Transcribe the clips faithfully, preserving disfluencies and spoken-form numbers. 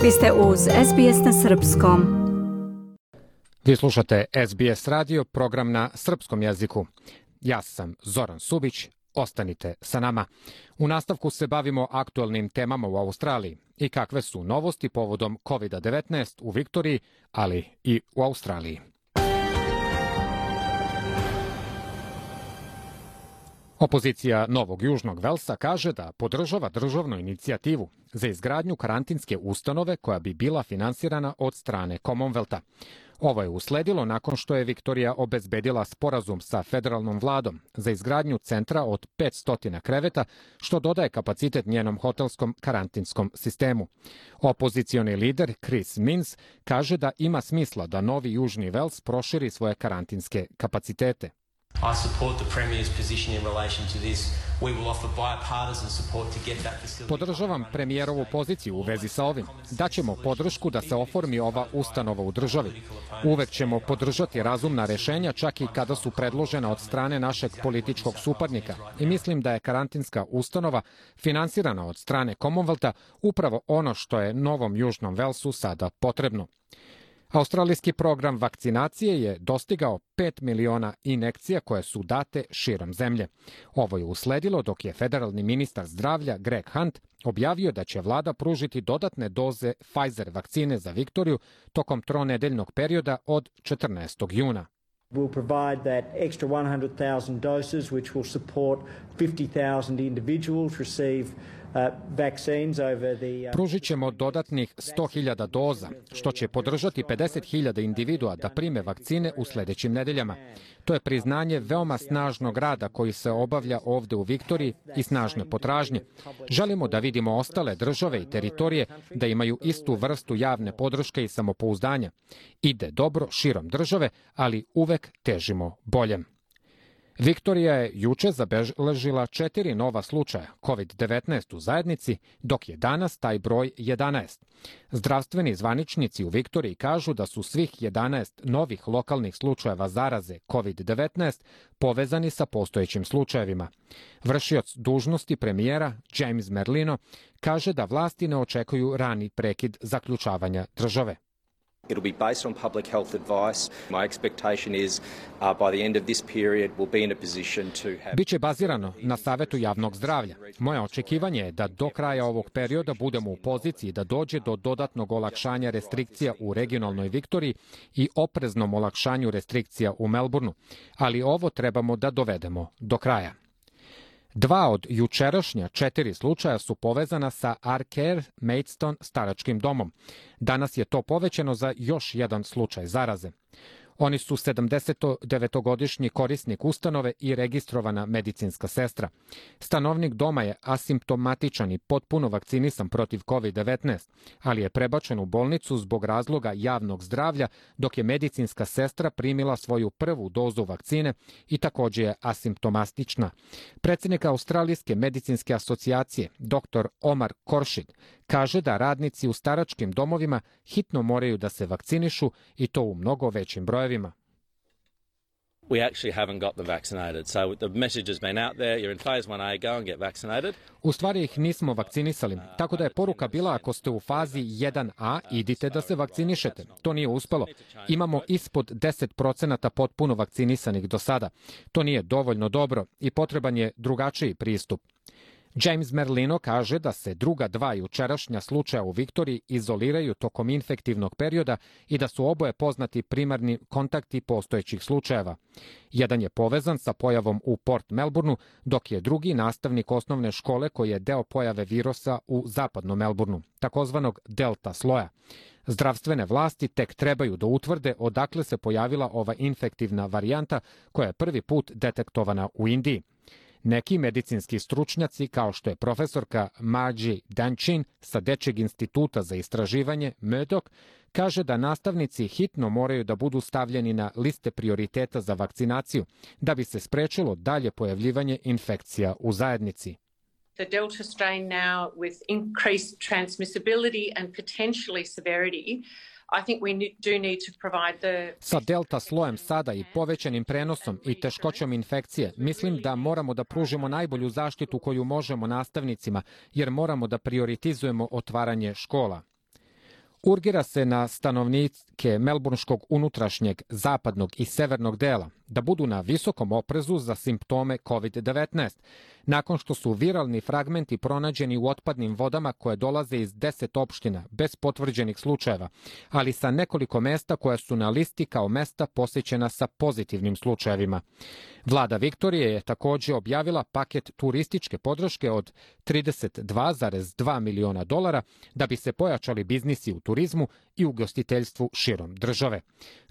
Vi ste uz S B S na srpskom. Vi slušate S B S radio, program na srpskom jeziku. Ja sam Zoran Subić, ostanite sa nama. U nastavku se bavimo aktualnim temama u Australiji i kakve su novosti povodom kovid devetnaest u Viktoriji, ali i u Australiji. Opozicija Novog Južnog Velsa kaže da podržava državnu inicijativu za izgradnju karantinske ustanove koja bi bila finansirana od strane Commonwealtha. Ovo je usledilo nakon što je Viktorija obezbedila sporazum sa federalnom vladom za izgradnju centra od petsto kreveta, što dodaje kapacitet njenom hotelskom karantinskom sistemu. Opozicioni lider Chris Minns kaže da ima smisla da Novi Južni Vels proširi svoje karantinske kapacitete. I support the Premier's position in relation to this. We will offer bipartisan support to get that facility. Podržavam premijerovu poziciju u vezi sa ovim. Daćemo podršku da se oformi ova ustanova u državi. Uvek ćemo podržati razumna rešenja, čak i kada su predložena od strane našeg političkog suparnika. I mislim da je karantinska ustanova finansirana od strane Commonwealtha upravo ono što je Novom Južnom Velsu sada potrebno. Australijski program vakcinacije je dostigao pet miliona injekcija koje su date širom zemlje. Ovo je usledilo dok je federalni ministar zdravlja Greg Hunt objavio da će vlada pružiti dodatne doze Pfizer vakcine za Viktoriju tokom tronedeljnog perioda od četrnaestog juna. We'll provide that extra one hundred thousand doses, which will support fifty thousand individuals receive uh, vaccines over the... Uh... Pružit ćemo dodatnih sto hiljada doza, što će podržati pedeset hiljada individua da prime vakcine u sledećim nedeljama. To je priznanje veoma snažnog rada koji se obavlja ovde u Viktoriji i snažne potražnje. Želimo da vidimo ostale države i teritorije da imaju istu vrstu javne podrške i samopouzdanja. Ide dobro širom države, ali uvek težimo boljem. Viktorija je juče zabeležila četiri nova slučaja kovid devetnaest u zajednici, dok je danas taj broj jedanaest. Zdravstveni zvaničnici u Viktoriji kažu da su svih jedanaest novih lokalnih slučajeva zaraze kovid devetnaest povezani sa postojećim slučajevima. Vršioc dužnosti premijera James Merlino kaže da vlasti ne očekuju rani prekid zaključavanja države. It'll be based on public health advice. My expectation is uh, by the end of this period we'll be in a position to have... Biće bazirano na Savetu javnog zdravlja. Moje očekivanje je da do kraja ovog perioda budemo u poziciji da dođe do dodatnog olakšanja restrikcija u regionalnoj Viktoriji i opreznom olakšanju restrikcija u Melbourneu, ali ovo trebamo da dovedemo do kraja. Dva od jučerašnja četiri slučaja su povezana sa Arcare Maidstone staračkim domom. Danas je to povećano za još jedan slučaj zaraze. Oni su sedamdesetdevetogodišnji korisnik ustanove i registrovana medicinska sestra. Stanovnik doma je asimptomatičan i potpuno vakcinisan protiv kovid devetnaest, ali je prebačen u bolnicu zbog razloga javnog zdravlja, dok je medicinska sestra primila svoju prvu dozu vakcine i takođe je asimptomatična. Predsjednik Australijske medicinske asocijacije, doktor Omar Koršid, kaže da radnici u staračkim domovima hitno moraju da se vakcinišu i to u mnogo većim brojevima. We actually haven't got them vaccinated. So the message has been out there, you're in phase one A, go and get vaccinated. U stvari ih nismo vakcinisali, tako da je poruka bila ako ste u fazi jedan A, idite da se vakcinišete. To nije uspelo. Imamo ispod deset procenata potpuno vakcinisanih do sada. To nije dovoljno dobro i potreban je drugačiji pristup. James Merlino kaže da se druga dva jučerašnja slučaja u Viktoriji izoliraju tokom infektivnog perioda i da su oboje poznati primarni kontakti postojećih slučajeva. Jedan je povezan sa pojavom u Port Melbourneu, dok je drugi nastavnik osnovne škole koji je deo pojave virusa u zapadnom Melbourneu, takozvanog delta sloja. Zdravstvene vlasti tek trebaju da utvrde odakle se pojavila ova infektivna varijanta koja je prvi put detektovana u Indiji. Neki medicinski stručnjaci, kao što je profesorka Margie Danchin sa Dečjeg instituta za istraživanje Murdoch, kaže da nastavnici hitno moraju da budu stavljeni na liste prioriteta za vakcinaciju, da bi se sprečilo dalje pojavljivanje infekcija u zajednici. The Delta strain now with increased transmissibility and potentially severity, I think we do need to provide the... Sa delta slojem sada i povećanim prenosom i teškoćom infekcije, mislim da moramo da pružimo najbolju zaštitu koju možemo nastavnicima, jer moramo da prioritizujemo otvaranje škola. Urgira se na stanovnike melbourneškog unutrašnjeg, zapadnog i severnog dela da budu na visokom oprezu za simptome kovid devetnaest, nakon što su viralni fragmenti pronađeni u otpadnim vodama koje dolaze iz deset opština bez potvrđenih slučajeva, ali sa nekoliko mesta koja su na listi kao mesta posećena sa pozitivnim slučajevima. Vlada Viktorije je također objavila paket turističke podrške od trideset dva zarez dva miliona dolara da bi se pojačali biznisi u turizmu i ugostiteljstvu širom države.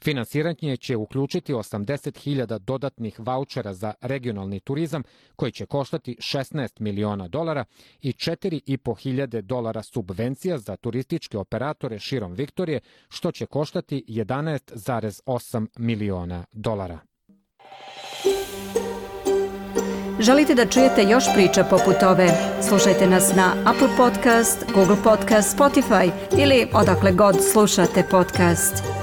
Finansiranje će uključiti osamdeset hiljada dodatnih vaučera za regionalni turizam koji će koštati šesnaest miliona dolara i četiri i po hiljade dolara subvencija za turističke operatore širom Viktorije, što će koštati jedanaest zarez osam miliona dolara. Želite da čujete još priča poput ove? Slušajte nas na Apple Podcast, Google Podcast, Spotify ili odakle god slušate podcast.